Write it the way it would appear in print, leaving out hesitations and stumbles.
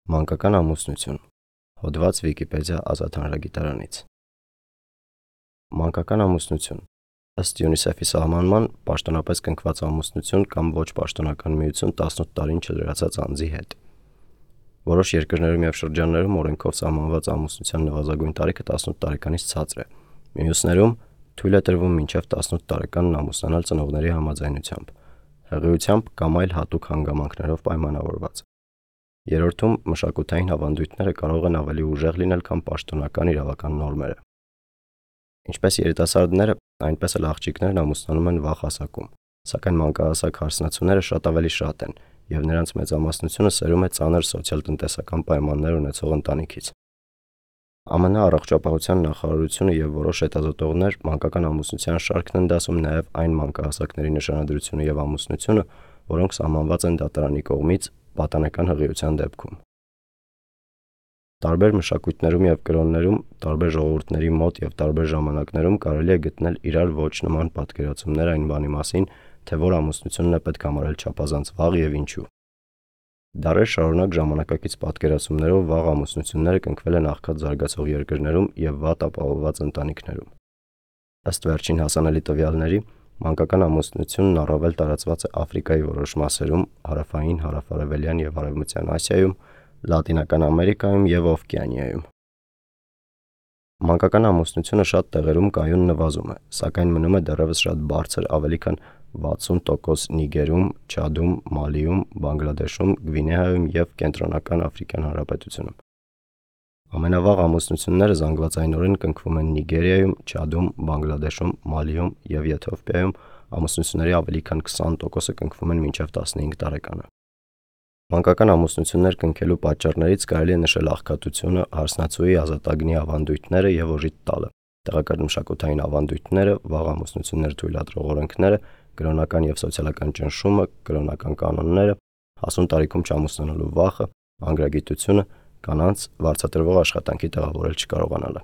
Մանկական ամուսնություն։ Հոդված Վիկիպեդիա Ազատ հանրագիտարանից։ Մանկական ամուսնություն ըստ ՅՈՒՆԻՍԵՖ-ի սահմանման պաշտոնապես կնքված ամուսնություն կամ ոչ պաշտոնական միություն 18 տարին չլրացած անձի հետ։ Որոշ երկրներում և շրջաններում օրենքով սահմանված ամուսնության նվազագույն տարիքը 18 տարեկանից ցածր է։ Մյուսներում թույլ է տրվում մինչև 18 տարեկանն ամուսնանալ ծնողների համաձայնությամբ, հղիությամբ կամ այլ հատուկ հանգամանքներով պայմանավորված։ Երրորդում մշակութային ավանդույթները կարող են ավելի ուժեղ լինել, քան պաշտոնական իրավական նորմերը։ Ինչպես երիտասարդները, այնպես էլ աղջիկներն ամուսնանում են վաղ հասակում, սակայն մանկահասակ հարսնացուները շատ ավելի շատ են, և նրանց մեծամասնությունը սերում է ծանր սոցիալ-տնտեսական պայմաններ ունեցող ընտանիքից։ ԱՄՆ առողջապահության նախարարությունը և որոշ հետազոտողներ մանկական ամուսնության շարքն են դասում նաև այն մանկահասակների նշանադրությունը և ամուսնությունը, որոնք սահմանված են դատարանի կողմից պատանեկան հղիության դեպքում։ Տարբեր մշակույթներում և կրոններում, տարբեր ժողովուրդների մոտ և տարբեր ժամանակներում կարելի է գտնել իրար ոչ նման պատկերացումներ այն բանի մասին, թե որ ամուսնությունն է պետք համարել չափազանց վաղ և ինչու։ Դարեր շարունակ ժամանակակից պատկերացումներով վաղ ամուսնությունները կնքվել են աղքատ զարգացող երկրներում և վատ ապահովված ընտանիքներում։ Ըստ վերջին հասանելի տվյալների, մանկական ամուսնությունն առավել տարածված է Աֆրիկայի որոշ մասերում, հարավային, հարավ-արևելյան և արևմտյան Ասիայում, Լատինական Ամերիկայում և Օվկիանիայում։ Մանկական ամուսնությունը շատ տեղերում կայուն նվազում է, սակայն մնում է դեռևս շատ բարձր, ավելի քան 60% Նիգերում, Չադում, Մալիում, Բանգլադեշում, Գվինեայում և Կենտրոնական Աֆրիկյան Հանրապետությունում։ Ամենավաղ ամուսնությունները զանգվածայնորեն կնքվում են Նիգերիայում, Չադում, Բանգլադեշում, Մալիում և Եթովպիայում, ամուսնությունների ավելի քան 20%-ը կնքվում են մինչև 15 տարեկանը։ Մանկական ամուսնություններ կնքելու պատճառներից կարելի է նշել աղքատությունը, հարսնացուի ազատագնի ավանդույթները և օժիտ տալը, տեղական մշակութային ավանդույթները, վաղ ամուսնություններ թույլատրող օրենքները, կրոնական և սոցիալական ճնշումը, կրոնական կանոնները, հասուն տարիքում չամուսնանալու վախը, անգրագիտությունը, կանանց վարձատրվող աշխատանքի տեղավորել չկարողանալը։